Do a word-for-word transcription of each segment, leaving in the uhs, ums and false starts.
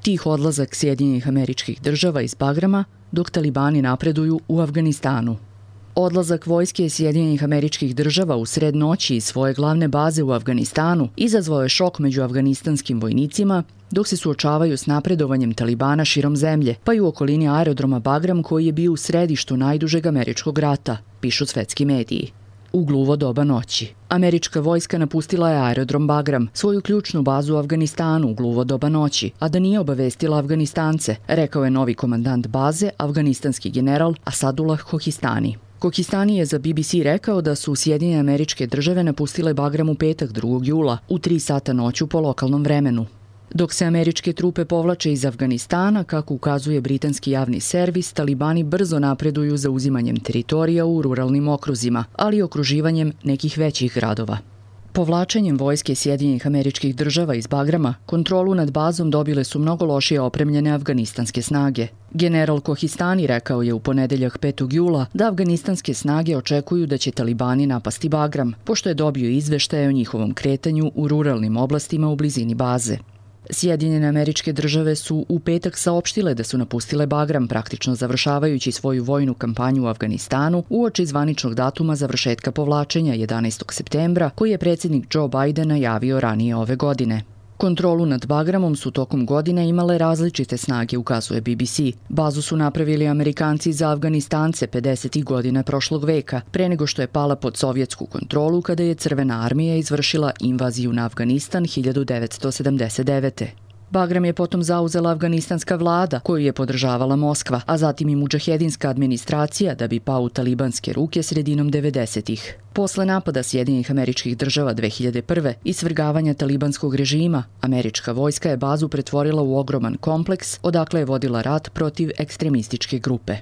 Tih odlazak Sjedinjenih Američkih Država iz Bagrama dok talibani napreduju u Afganistanu. Odlazak vojske Sjedinjenih Američkih Država u sred noći iz svoje glavne baze u Afganistanu izazvao je šok među afganistanskim vojnicima dok se suočavaju s napredovanjem talibana širom zemlje, pa i u okolini aerodroma Bagram koji je bio u središtu najdužeg američkog rata, pišu svetski mediji. U gluvo doba noći. Američka vojska napustila je aerodrom Bagram, svoju ključnu bazu u Afganistanu u gluvo doba noći, a da nije obavestila Afganistance, rekao je novi komandant baze, afganistanski general Asadullah Kohistani. Kohistani je za B B C rekao da su Sjedinjene Američke Države napustile Bagram u petak drugog jula u tri sata noću po lokalnom vremenu. Dok se američke trupe povlače iz Afganistana, kako ukazuje britanski javni servis, talibani brzo napreduju za uzimanjem teritorija u ruralnim okruzima, ali i okruživanjem nekih većih gradova. Povlačenjem vojske Sjedinjenih Američkih Država iz Bagrama, kontrolu nad bazom dobile su mnogo lošije opremljene afganistanske snage. General Kohistani rekao je u ponedeljak petog jula da afganistanske snage očekuju da će talibani napasti Bagram, pošto je dobio izveštaje o njihovom kretanju u ruralnim oblastima u blizini baze. Sjedinjene Američke Države su u petak saopštile da su napustile Bagram, praktično završavajući svoju vojnu kampanju u Afganistanu uoči zvaničnog datuma završetka povlačenja jedanaestog septembra, koji je predsjednik Joe Biden najavio ranije ove godine. Kontrolu nad Bagramom su tokom godine imale različite snage, ukazuje B B C. Bazu su napravili Amerikanci za Afganistance pedesetih godina prošlog veka, pre nego što je pala pod sovjetsku kontrolu kada je Crvena armija izvršila invaziju na Afganistan hiljadu devetsto sedamdeset devete. Bagram je potom zauzela afganistanska vlada, koju je podržavala Moskva, a zatim i mudžahedinska administracija da bi pao u talibanske ruke sredinom devedesetih. Posle napada Sjedinjenih Američkih Država dve hiljade prve i svrgavanja talibanskog režima, američka vojska je bazu pretvorila u ogroman kompleks, odakle je vodila rat protiv ekstremističke grupe.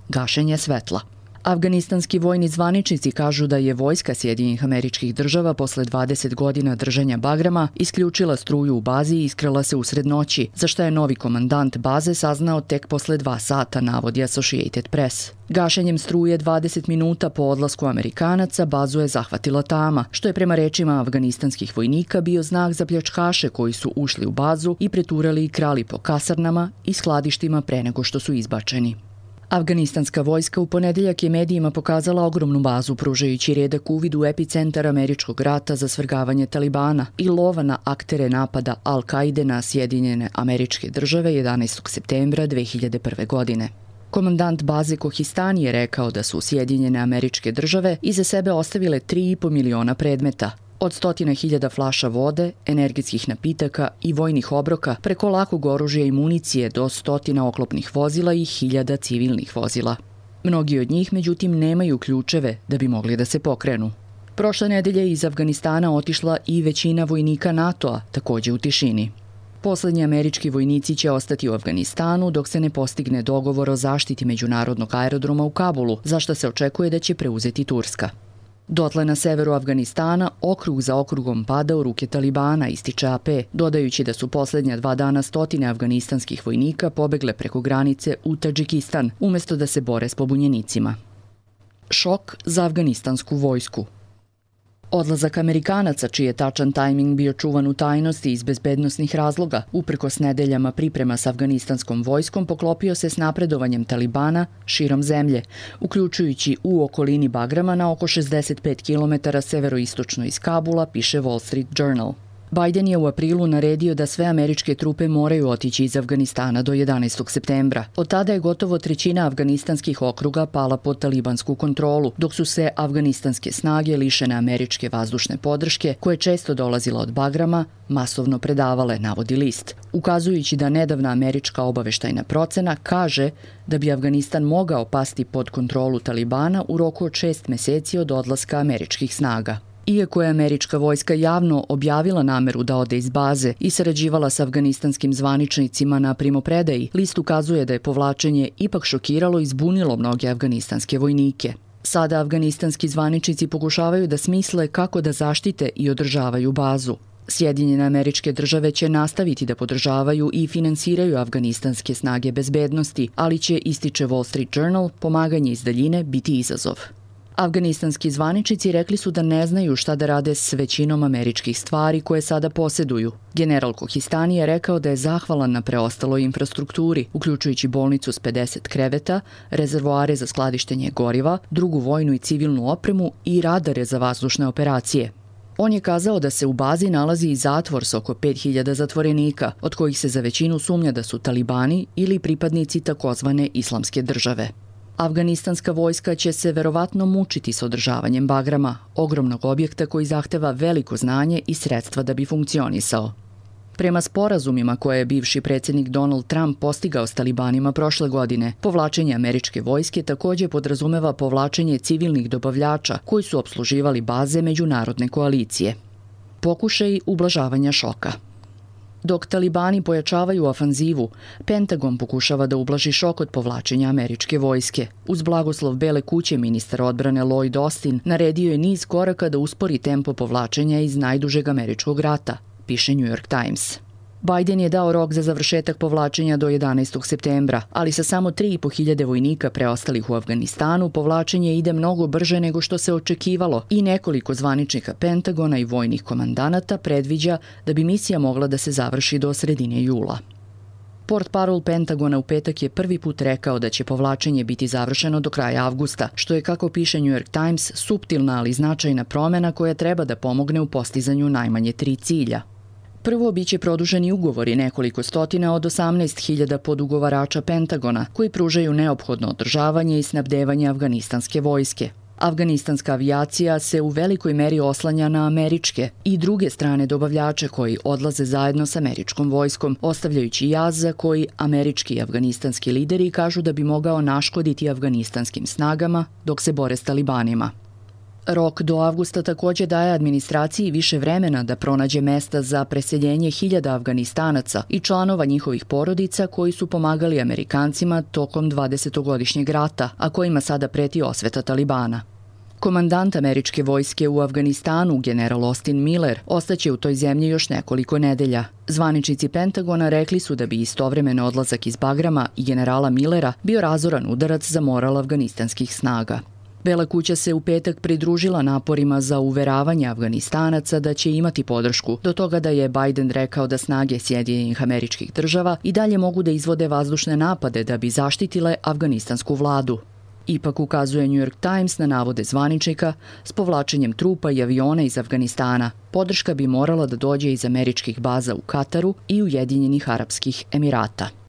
Gašenje svetla. Afganistanski vojni zvaničnici kažu da je vojska Sjedinjenih Američkih Država posle dvadeset godina držanja Bagrama isključila struju u bazi i iskrala se usred noći, za šta je novi komandant baze saznao tek posle dva sata, navodi Associated Press. Gašenjem struje dvadeset minuta po odlasku Amerikanaca bazu je zahvatila tama, što je prema rečima afganistanskih vojnika bio znak za pljačkaše koji su ušli u bazu i preturali i krali po kasarnama i skladištima pre nego što su izbačeni. Afganistanska vojska u ponedeljak je medijima pokazala ogromnu bazu, pružajući redak uvid u epicentar američkog rata za svrgavanje talibana i lova na aktere napada Al-Kaide na Sjedinjene Američke Države jedanaestog septembra dve hiljade prve. godine. Komandant baze Kohistani je rekao da su Sjedinjene Američke Države iza sebe ostavile tri i po miliona predmeta, od stotina hiljada flaša vode, energetskih napitaka i vojnih obroka preko lakog oružja i municije do stotina oklopnih vozila i hiljada civilnih vozila. Mnogi od njih, međutim, nemaju ključeve da bi mogli da se pokrenu. Prošle nedelje iz Afganistana otišla i većina vojnika NATO-a, takođe u tišini. Poslednji američki vojnici će ostati u Afganistanu dok se ne postigne dogovor o zaštiti međunarodnog aerodroma u Kabulu, za što se očekuje da će preuzeti Turska. Dotle na severu Afganistana okrug za okrugom pada u ruke talibana, ističe A P, dodajući da su poslednja dva dana stotine afganistanskih vojnika pobegle preko granice u Tadžikistan, umesto da se bore s pobunjenicima. Šok za afganistansku vojsku. Odlazak Amerikanaca, čiji je tačan tajming bio čuvan u tajnosti iz bezbednosnih razloga, uprkos nedeljama priprema s afganistanskom vojskom, poklopio se s napredovanjem talibana širom zemlje, uključujući u okolini Bagrama na oko šezdeset pet kilometara severoistočno iz Kabula, piše Wall Street Journal. Biden je u aprilu naredio da sve američke trupe moraju otići iz Afganistana do jedanaestog septembra. Od tada je gotovo trećina afganistanskih okruga pala pod talibansku kontrolu, dok su se afganistanske snage lišene američke vazdušne podrške, koje često dolazila od Bagrama, masovno predavale, navodi list, ukazujući da nedavna američka obaveštajna procena kaže da bi Afganistan mogao pasti pod kontrolu talibana u roku od šest meseci od odlaska američkih snaga. Iako je američka vojska javno objavila nameru da ode iz baze i sarađivala s afganistanskim zvaničnicima na primopredaji, list ukazuje da je povlačenje ipak šokiralo i zbunilo mnoge afganistanske vojnike. Sada afganistanski zvaničnici pokušavaju da smisle kako da zaštite i održavaju bazu. Sjedinjene Američke Države će nastaviti da podržavaju i finansiraju afganistanske snage bezbednosti, ali će, ističe Wall Street Journal, pomaganje iz daljine biti izazov. Afganistanski zvaničnici rekli su da ne znaju šta da rade s većinom američkih stvari koje sada posjeduju. General Kohistani je rekao da je zahvalan na preostaloj infrastrukturi, uključujući bolnicu s pedeset kreveta, rezervoare za skladištenje goriva, drugu vojnu i civilnu opremu i radare za vazdušne operacije. On je kazao da se u bazi nalazi i zatvor s oko pet hiljada zatvorenika, od kojih se za većinu sumnja da su talibani ili pripadnici takozvane islamske države. Afganistanska vojska će se verovatno mučiti s održavanjem Bagrama, ogromnog objekta koji zahteva veliko znanje i sredstva da bi funkcionisao. Prema sporazumima koje je bivši predsjednik Donald Trump postigao s talibanima prošle godine, povlačenje američke vojske također podrazumeva povlačenje civilnih dobavljača koji su opsluživali baze međunarodne koalicije. Pokušaj ublažavanja šoka. Dok talibani pojačavaju ofanzivu, Pentagon pokušava da ublaži šok od povlačenja američke vojske. Uz blagoslov Bele kuće ministar odbrane Lloyd Austin naredio je niz koraka da uspori tempo povlačenja iz najdužeg američkog rata, piše New York Times. Biden je dao rok za završetak povlačenja do jedanaestog septembra, ali sa samo tri i po hiljade vojnika preostalih u Afganistanu povlačenje ide mnogo brže nego što se očekivalo i nekoliko zvaničnika Pentagona i vojnih komandanata predviđa da bi misija mogla da se završi do sredine jula. Portparol Pentagona u petak je prvi put rekao da će povlačenje biti završeno do kraja avgusta, što je, kako piše New York Times, suptilna ali značajna promjena koja treba da pomogne u postizanju najmanje tri cilja. Prvo, biće produženi ugovori nekoliko stotina od osamnaest hiljada podugovarača Pentagona, koji pružaju neophodno održavanje i snabdevanje afganistanske vojske. Afganistanska avijacija se u velikoj meri oslanja na američke i druge strane dobavljače koji odlaze zajedno s američkom vojskom, ostavljajući jaz za koji američki i afganistanski lideri kažu da bi mogao naškoditi afganistanskim snagama dok se bore s talibanima. Rok do avgusta također daje administraciji više vremena da pronađe mesta za preseljenje hiljada Afganistanaca i članova njihovih porodica koji su pomagali Amerikancima tokom dvadesetogodišnjeg rata, a kojima sada preti osveta talibana. Komandant američke vojske u Afganistanu, general Austin Miller, ostaće u toj zemlji još nekoliko nedelja. Zvaničnici Pentagona rekli su da bi istovremeno odlazak iz Bagrama i generala Millera bio razoran udarac za moral afganistanskih snaga. Bela kuća se u petak pridružila naporima za uveravanje Afganistanaca da će imati podršku, do toga da je Biden rekao da snage Sjedinjenih Američkih Država i dalje mogu da izvode vazdušne napade da bi zaštitile afganistansku vladu. Ipak, ukazuje New York Times na navode zvaničnika, s povlačenjem trupa i aviona iz Afganistana, podrška bi morala da dođe iz američkih baza u Kataru i Ujedinjenih Arapskih Emirata.